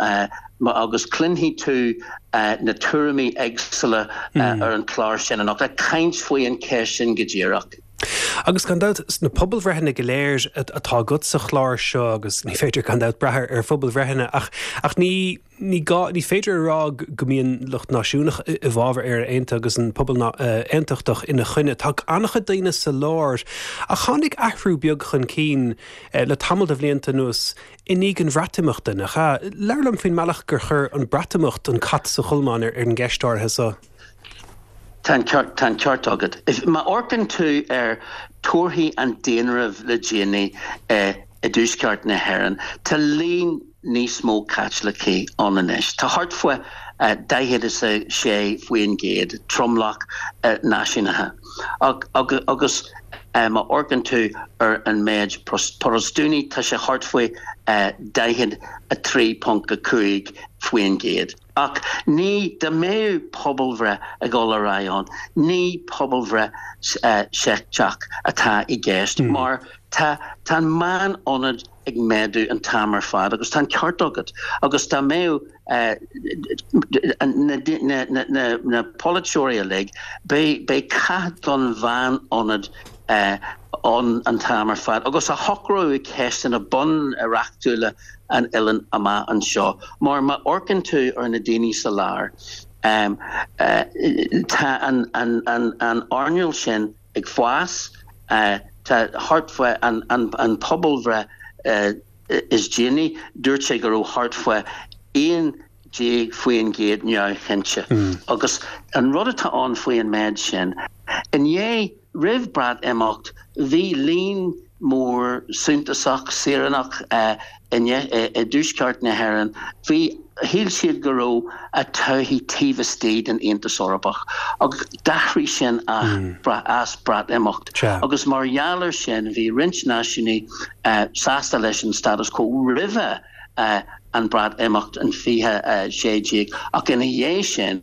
agus cluinfidh tú na tuairimí éagsúla ar an chlár sin anocht, ag caint faoi an cheist sin go díreach. Agus gan dabht, sna pobalbhreitheanna go léir atá agat sa chlár seo, agus ní féidir gan dabht brath ar phobalbhreitheanna, ach ach ní ní gá ní féidir a rá go mbíonn lucht náisiúnach i bhfabhar Éire Aontaithe agus an pobal aontachtach ina choinne. Tá an-chuid daoine sa lár. Ach tháinig athrú beag chun cinn le tamall de bhlianta anuas i ndiaidh an Bhreatimeachta, nach ea? Labhair liom faoin mbealach gur chuir an Breatimeacht an cat sa cholmán ar an gceist áirithe seo. Tá an ceart agat. Má amharcann tú ar torthaí an daonáirimh le déanaí i dtuaisceart na hÉireann, tá líon níos mó Caitlicigh ann anois. Tá thart faoi daichead is a sé faoin gcéad tromlach náisiúnaithe. Agus má amharcann tú ar an méid Protastúnaigh, tá sé thart faoi daichead a trí ponc a cúig faoin gcéad. Ach ní, dá mbeadh pobalbhreith ag dul ar aghaidh ann, ní pobalbhreith seicteach atá i gceist mar tá tá an meán-ionad ag méadú an t-am ar fad agus tá an ceart agat agus dá mbeadh na na polaiteoirí uilig, beidh beidh cath don mheán-ionad ann an t-am ar fad agus a shocróidh ceisteanna bunreachtúla an oileáin amach anseo. Mar má amharcann tú ar na daoine sa lár, tá an an earnáil sin ag fás, tá thart faoi an an pobalbhreith is déanaí, dúirt sé go raibh thart faoi aon déag faoin gcéad neamhchinnte. Agus an rud atá ann faoi an méid sin, i ndiaidh, roimh Breatimeacht, bhí líon mór suntasach saoránach i dtuaisceart na hÉireann, bhí, shíl siad go raibh a todhchaí taobh istigh den Aontas Eorpach agus d'athraigh sin as Breatimeacht agus mar gheall air sin bhí roinnt náisiúnaigh sásta leis an status quo roimhe an Breatimeacht in fiche a sé déag ach ina dhiaidh sin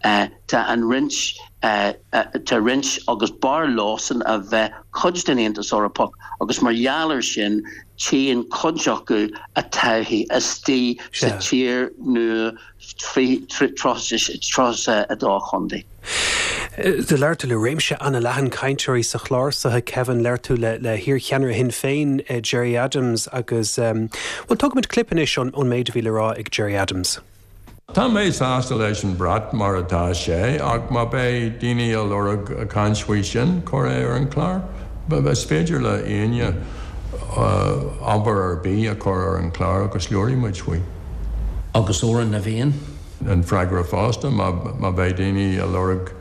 tá an roinnt tá roinnt agus b'fhearr leosan a bheith cuid den Aontas Eorpach agus mar gheall air sin tchíonn cuid acu a todhchaí istigh sa tír nua tríocha a dó chontae. Do labhair tú le réimse an-leathan cainteoirí sa chlár seo, a Kevin, labhair tú le le hiarcheannaire Shinn Féin, Gerry Adams agus, bhuel, tógfaimid clip anois ón méid a bhí le rá ag Gerry Adams. Tá mé sásta leis an brat mar atá sé ach má beidh daoine ag lorg caint faoi sin, cuir é ar an chlár. Is féidir le éinne ábhar ar bith a chur ar an chlár agus labhróidh muid faoi. Agus Amhrán na bhFiann? An freagra fosta, má bheidh daoine ag lorg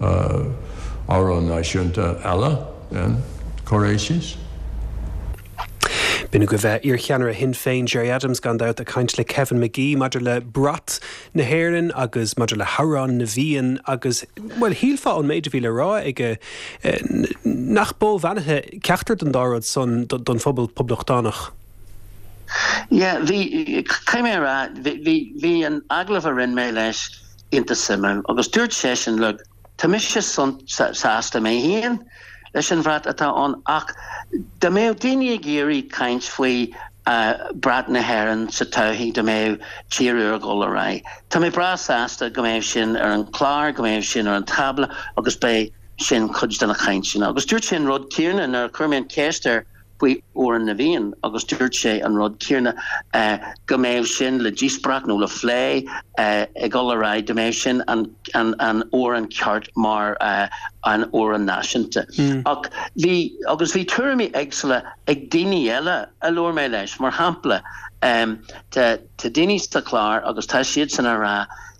amhrán náisiúnta eile, then cuir é síos. B'in agaibh iarcheannaire Shinn Féin Gerry Adams gan dabht ag caint le Kevin McGee maidir le brat na hÉireann agus maidir le hAmhrán na bhFiann agus, bhuel, shílfeá ón méid a bhí le rá aige nach bó bheannaithe ceachtar den dá rud san don phobal poblachtánach. Yeah, bhí, caithfidh mé a rá, bhí, bhí an agallamh a rinne mé leis iontach suimiúil agus dúirt seisean, look, tá mise sásta mé féin, leis an bhrat atá ann ach dá mbeadh daoine ag iarraidh caint faoi brat na hÉireann sa todhchaí dá mbeadh tír úr ag dul ar aghaidh. Tá mé breá sásta go mbeadh sin ar an chlár, go mbeadh sin ar an tábla agus beidh sin cuid de na cainteanna. Agus dúirt sé an rud céanna nuair a chuir mé an ceist air faoi Amhrán na bhFiann agus dúirt sé an rud céanna go mbeadh sin le díospóireacht nó le plé ag dul ar aghaidh, go mbeadh sin an an an amhrán ceart mar an amhrán náisiúnta. Ach bhí agus bhí tuairimí éagsúla ag daoine eile a labhair mé leis, mar shampla tá tá daoine sa chlár agus tá siadsan ag rá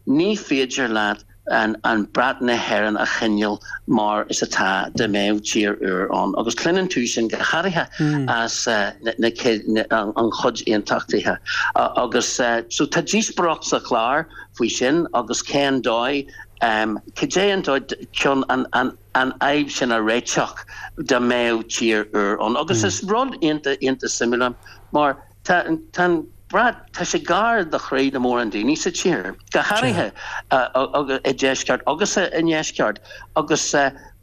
ní féidir leat an an brat na hÉireann a choinneáil mar is atá dá mbeadh tír úr ann agus cluineann tú sin go háirithe as na an chuid aontachtaithe agus so tá díospóireacht sa chlár faoi sin agus cén dóigh cad é an dóigh chun an an an fhadhb sin a réiteach dá mbeadh tír úr ann agus is rud iontach iontach suimiúil mar tá tá an brat tá sé gar do chroí na mórán daoine sa tír, go háirithe i deisceart agus i ndeisceart agus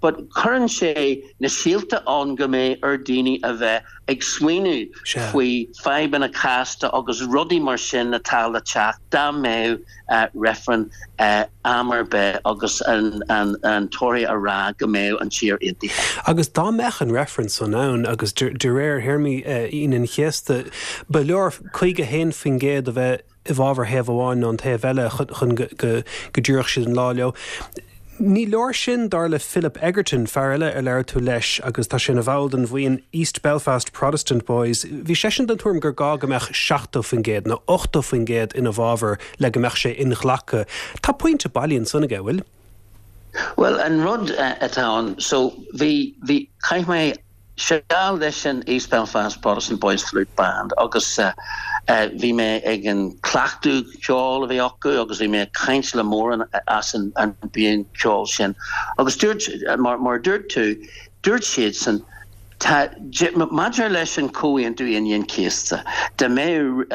but cuireann sé na síolta ann go mbeidh ar daoine a bheith ag smaoineamh faoi fadhbanna casta agus rudaí mar sin atá le teacht dá mbeadh reifreann am ar bith agus an an an toradh a rá go mbeadh an tír aontaithe. Agus dá mbeadh an reifreann san ann agus de réir théarmaí Aoine an Chéasta, ba leor caoga haon faoin gcéad a bheith i bhfabhar thaobh amháin nó an taobh eile chun go dtabharfadh siad an lá leo. Ní leor sin dar le Philip Egerton, fear eile ar labhair tú leis agus tá sé ina bhall den bhuíon East Belfast Protestant Boys. Bhí seisean den tuairim gur gá go mbeadh seachtó faoin gcéad nó ochtó faoin gcéad ina bhfabhar le go mbeadh sé inghlactha. Tá pointe bailí ansan aige, bhfuil? Bhuel, an rud atá ann, so bhí, bhí, chaith mé seal leis an East Belfast Protestant Boys Flute Band agus bhí mé ag an cleachtadh ceoil a bhí acu agus bhí mé ag caint le mórán as an an buíon ceoil sin. Agus dúirt, mar mar dúirt tú, dúirt siadsan, tá, maidir leis an Comhaontú Aoine an Chéasta, dá mbeadh,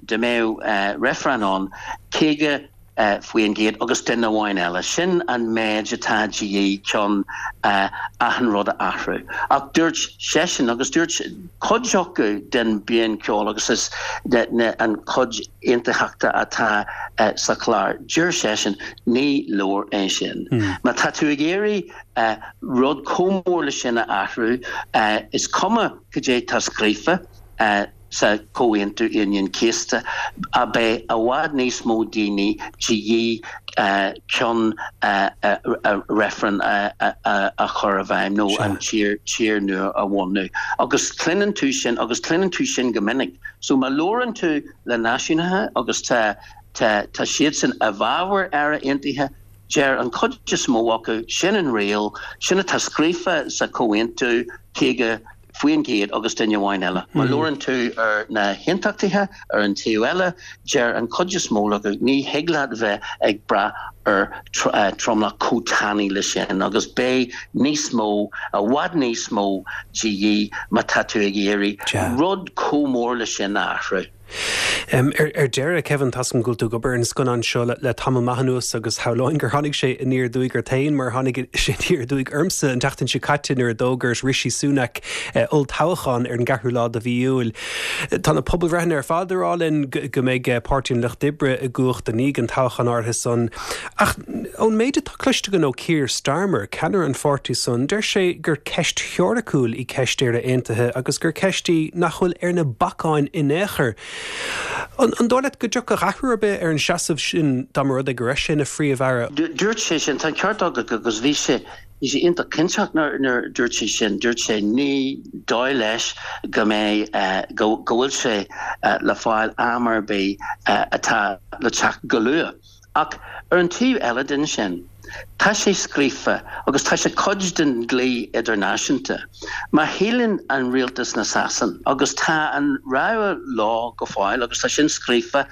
dá mbeadh reifreann ann, caoga faoin gcéad agus duine amháin eile. Sin an méid atá de dhíth chun achan rud a athrú. Ach dúirt seisean, agus dúirt cuid acu den bhuíon ceoil agus is an chuid aontachtaithe atá sa chlár, deir seisean, ní leor é sin. Má tá tú ag iarraidh rud chomh mór le sin a athrú, is cuma cad é tá scríofa, sa Chomhaontú Aoine an Chéasta, beidh i bhfad níos mó daoine de dhíth chun reifreann a chur i bhfeidhm nó an tír tír nua a bhunú. Agus cluineann tú sin, agus cluineann tú sin go minic. So má labhrann tú le náisiúnaithe agus tá tá tá siadsan i bhfabhar Éire Aontaithe, deir an chuid is mó acu, sin an riail, sin atá scríofa sa Chomhaontú, caoga faoin gcéad agus duine amháin eile. Má labhrann tú ar na haontachtaithe ar an taobh eile, deir an chuid is mó acu, ní thig leat bheith ag brath ar tromlach chomh tanaí le sin agus beidh níos mó, i bhfad níos mó de dhíth má tá tú ag iarraidh rud chomh mór le sin a athrú. Ar deireadh, Kevin, tá a fhios agam go bhfuil tú ag obair ar an scannán seo le tamall maith anuas agus shamhlóinn gur tháinig sé aniar aduaidh ort féin mar tháinig sé aniar aduaidh ormsa an tseachtain seo caite nuair a d'fhógair Rishi Sunak olltoghchán ar an gceathrú lá de mhí Iúil. Tá na pobalbhreitheanna ar fad ag rá linn go mbeidh Páirtí an Lucht Oibre i gcumhacht i ndiaidh an toghcháin áirithe san. Ach ón méid atá cloiste againn ó Keir Starmer, ceannaire an pháirtí san, deir sé gur ceist theoiriciúil í ceist Éire Aontaithe agus gur ceist í nach bhfuil ar na bacáin in aon chor. An dóigh leat go dtiocfadh athrú ar bith ar an seasamh sin dá mba rud é go raibh sé ina Phríomh-Aire? Dúirt sé sin, tá an ceart agat agus bhí sé bhí sé iontach cinnteach nuair nuair dúirt sé sin, dúirt sé ní dóigh leis go mbeidh go go bhfuil sé le fáil am ar bith atá le teacht go luath. Ach ar an taobh eile den sin, tá sé scríofa agus tá sé cuid den dlí idirnáisiúnta. Má shíleann an rialtas na Sasan, agus tá an rogha leo go fóill agus tá sin scríofa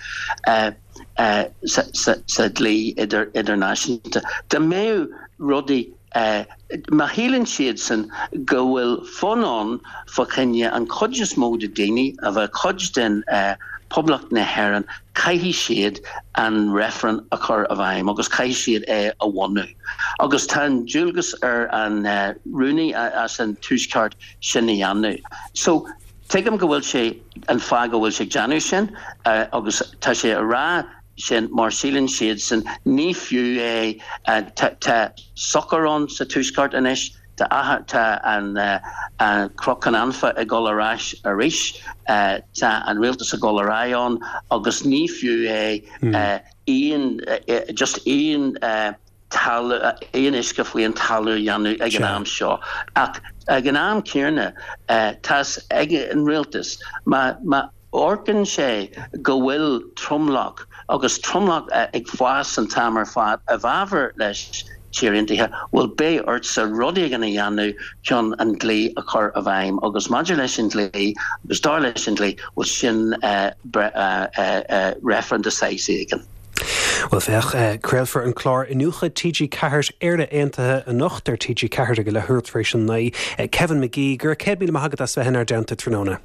sa dlí idirnáisiúnta, dá mbeadh rudaí Má shíleann siadsan go bhfuil fonn ann fá choinne an chuid is mó de daoine a bheith cuid den Poblacht na hÉireann, caithfidh siad an reifreann a chur i bhfeidhm agus caithfidh siad é a bhunú. Agus tá an dualgas ar an rúnaí as an Tuaisceart sin a dhéanamh. So tuigim go bhfuil sé an fáth go bhfuil sé ag déanamh sin agus tá sé a rá sin mar síleann siadsan ní fiú é tá socair ann sa Tuaisceart anois, tá tá an Cnoc Anfa ag dul ar ais arís, tá an rialtas ag dul ar aghaidh ann agus ní fiú é aon just aon talamh aon uisce faoi an talamh a dhéanamh ag an am seo. Ach ag an am céanna tá's ag an rialtas má má amharcann sé go bhfuil tromlach agus tromlach ag fás an t-am ar fad i bhfabhar leis Tír Aontaithe, bhuel beidh ortsa rud éigin a dhéanamh chun an dlí a chur i bhfeidhm agus maidir leis an dlí agus dar leis an dlí, bhuel sin reifreann de saghas éigin. Bhuel féach, craolfar an clár Iniúchadh T G Ceathair Éire Aontaithe anocht ar T G Ceathair ag a leathuair tar éis a naoi. Kevin McGee, go raibh céad míle maith agat as bheith inár dteannta tráthnóna.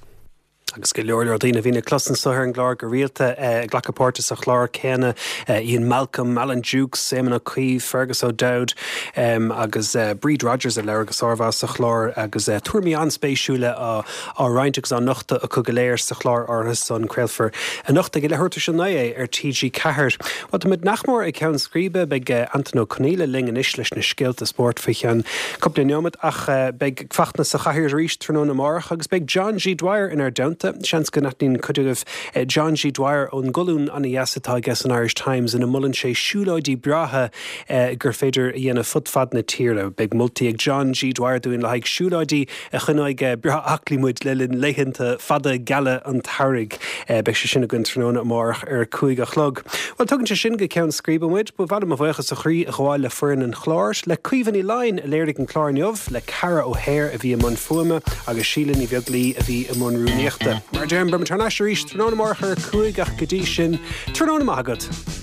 Agus go leor leor daoine a bhíonn le clos anseo ar an gclár go rialta ag glacadh páirte sa chlár céanna, Ian Malcolm, Alan Dukes, Éamon Ó Cuív, Fergus O'Dowd agus Bríd Rodgers a labhair go sármhaith sa chlár agus tuairimí an-spéisiúla á á roinnt agus á nochtadh acu go léir sa chlár áirithe san. Craolfar anocht ag a leathuair tar éis a naoi é ar T G Ceathair. Bhuel, táimid nach mór ag ceann scríbe, beidh Antain Ó Conghaile linn anois leis na scéalta spóirt faoi cheann cúpla neomat ach beidh Fachtna sa chathaoir arís tráthnóna amárach agus beidh John G. Dwyer inár dteannta. Seans go n-aithníonn cuid agaibh John G. Dwyer ón gcolún an-dheas atá aige san Irish Times ina molann sé siúlóidí breátha gur féidir a dhéanamh fud fad na tíre. Beidh moltaí ag John G. Dwyer dúinn le haghaidh siúlóidí a choinneoidh breá aclaí muid le linn laethanta fada geala an tsamhraidh. Beidh sé sin againn tráthnóna amárach ar a cúig a chlog. Bhuel, tugann sé sin go ceann scríbe muid, ba mhaith liom mo bhuíochas ó chroí a ghabháil le foireann an chláir, le Caoimhe Ní Laighin a léirigh an clár inniu, le Cara O'Hare a bhí i mbun fuaime agus Síle Ní Bheaglaoí a bhí i mbun rúnaíochta. Mar deirim, beimid thar n-ais arís tráthnóna amárach ar a cúig ach go dtí sin, tráthnóna maith agat.